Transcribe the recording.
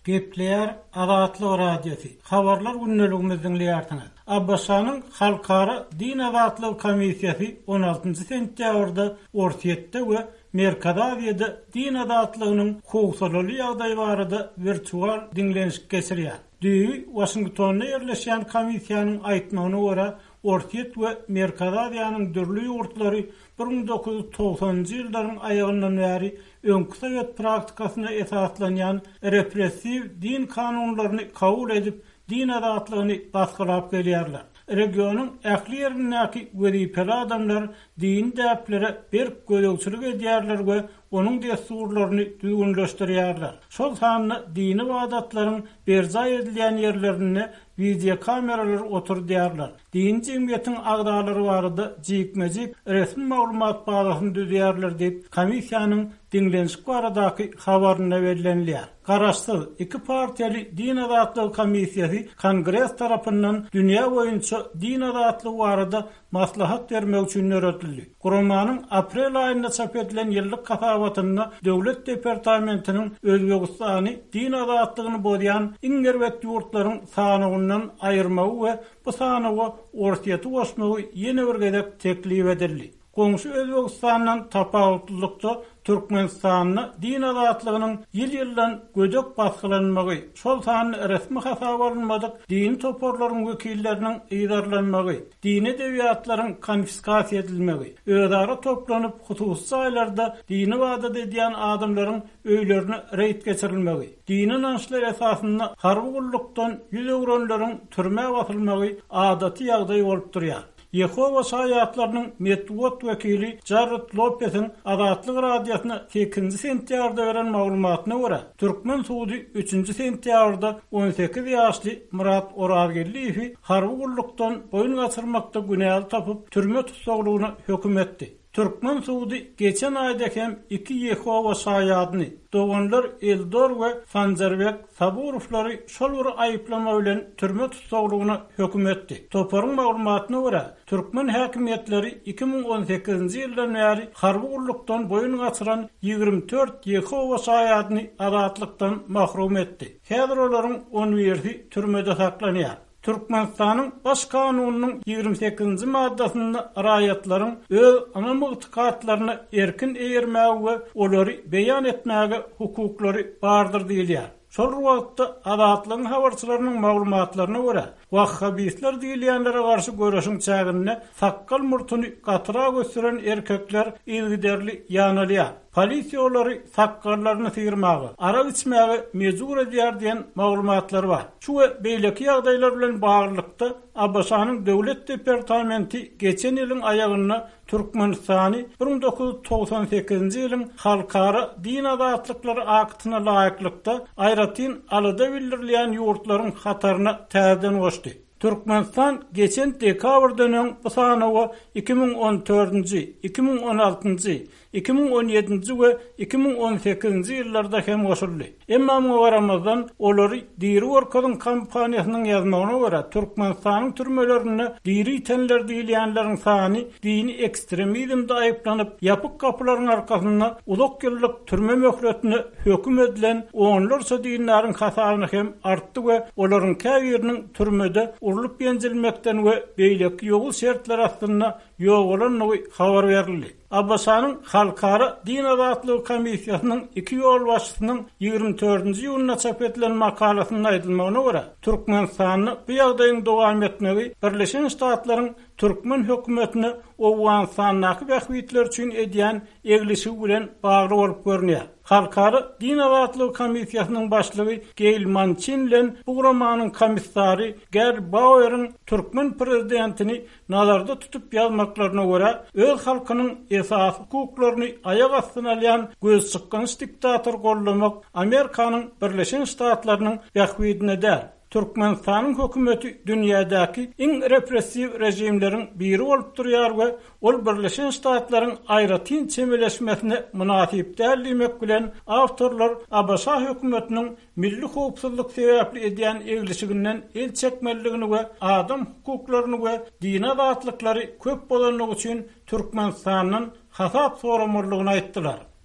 Gepleýär Azatlyk Radiosy, Habarlar gündeligimizi diňleýärsiňiz. ABŞ-nyň Halkara din azatlygy komissiýasy on altynjy sentýabrda Orsýetde we Merkezi Aziýada din azatlygynyň howsalaly ýagdaýy barada wirtual diňlenişik geçirýär. Düýbi Waşingtonda ýerleşýän komissiýanyň aýtmagyna görä, Orsýet we Merkezi Aziýanyň dürli ýurtlary 1990-njy ýyllaryň aýagyndan bäri öňki sowet praktikasyna esaslanýan repressiw din kanunlaryny kabul edip, din azatlygyny basgylap gelýärler. Regionyň ähli ýerindäki wezipeli adamlar dini däplere berk gözegçilik edýärler we onuň dessurlaryny düzgünleşdirýärler. Şol sanda dini ybadatlaryň berjaý edilýän ýerlerinde wideokameralar oturdýarlar, dini jemgyýetiň agzalary barada jikme-jik resmi maglumat bazasyny düzýärler diýip, komissiýanyň diňlenişik baradaky habarynda bellenilýär. Garaşsyz, iki partiýaly Din azatlygy komissiýasy Kongres tarapyndan dünýä boýunça din azatlygy barada maslahat bermek üçin döredildi. Guramanyň aprel aýynda çap edilen ýyllyk hasabatynda Döwlet departamentiniň Özbegistany din azatlygyny bozýan iň erbet ýurtlaryň sanawyndan aýyrmagy we bu sanawa Orsýeti goşmagy ýene bir gezek teklip edildi. Goňşy Özbegistandan tapawutlylykda Türkmenistanda din azatlygynyň ýyl-ýyldan gödek basgylanmagy, şol sanda resmi hasaba alynmadyk dini toparlaryň wekilleriniň yzarlanmagy, dini edebiýatlaryň konfiskasiýa edilmegi, özara toplanyp hususy jaýlarda dini ybadat edýän adamlaryň öýlerine reýd geçirilmegi, dini ynançlar esasynda harby gullukdan ýüz öwrenleriň türmä basylmagy adaty ýagdaý bolup durýar. Ýehowa Şaýatlarynyň metbugat wekili Jarred Lopesiň Azatlyk Radiosyna sekizinji sentýabrda beren maglumatyna görä, türkmen sudy üçünji sentýabrda 18 ýaşly Myrat Orazgeldiýewi harby gullukdan boýun gaçyrmakda günäli tapyp, türme tussaglygyna höküm etdi. Türkmen sudy geçen aýda hem iki Ýehowa Şaýadyny, doganlar Eldor we Sanjarbek Saburowlary şol bir aýyplama bilen türme tussaglygyna höküm etdi. Toparyň maglumatyna görä, türkmen häkimiýetleri 2018-nji ýyldan bäri harby gullukdan boýun gaçyran 24 Ýehowa Şaýadyny azatlykdan mahrum etdi. Häzir olaryň on birisi türmede saklanýar. Türkmenistanyň Baş Kanunynyň 28-nji maddasynda raýatlaryň öz ynam-ygtykatlaryna erkin eýermäge we olary beýan etmäge hukuklary bardyr diýilýär. Şol bir wagtda, Azatlygyň habarçylarynyň maglumatlaryna görä, wahhabistler diýilýänlere garşy göreşiň çäginde sakgal-murtuny gatyrak ösdüren erkekler yzygiderli ýanalýar. Polisiýa olary sakgallaryny syrmaga, arak içmäge mejbur edýär diýen maglumatlar bar. Şu we beýleki ýagdaýlar bilen baglylykda, ABŞ-nyň Döwlet departamenti geçen ýylyň aýagynda Türkmenistany 1998-nji ýylyň Halkara din azatlyklary aktyna laýyklykda aýratyn alada bildirilýän ýurtlaryň hataryna täzeden goşdy. Türkmenistan geçen dekabrdan öň bu sanawa 2014-nji, 2016-njy, 2017-nji we 2018-nji ýyllarda hem goşuldy. Emma muňa garamazdan, olary diri görkeziň kampaniýasynyň ýazmagyna görä, Türkmenistanyň türmelerinde diri ýitenler diýilýänleriň sany dini ekstremizmde aýyplanyp, ýapyk gapylaryň arkasynda uzak ýyllyk türme möhletine höküm edilen onlarça dindaryň hasabyna hem artdy we olaryň käbiriniň türmede urlup-ýenjilmekden we beýleki ýowuz şertler astynda ýogalandygy habar berildi. ABŞ-nyň Halkara din azatlygy komissiýasynyň iki ýolbaşçysynyň 24-nji iýunda çap edilen makalasynda aýdylmagyna görä, Türkmenistanda bu ýagdaýyň dowam etmegi Birleşen Ştatlaryň türkmen hökümetine Owganystandaky bähbitleri üçin edýän eglişigi bilen bagly bolup görünýär. Halkara din azatlygy komissiýasynyň başlygy Geýl Mançin bilen bu guramanyň komissary Gerd Baueriň türkmen prezidentini nazarda tutup ýazmaklaryna görä, öz halkynyň esasy hukuklaryny aýak astyna alýan gözçykgynç diktatory goldamak Amerikanyň Birleşen Ştatlarynyň bähbidine däl. Türkmenistanyň hökümeti dünýädäki iň repressiw režimleriň biri bolup durýar we ol Birleşen Ştatlaryň aýratyn çemeleşmesine mynasyp däl diýmek bilen, awtorlar ABŞ hökümetiniň milli howpsuzlyk sebäpli edýän eglişiginden el çekmelidigini we adam hukuklaryny we dini azatlyklary köp bozandygy üçin Türkmenistandan hasap soramalydygyny aýtdylar.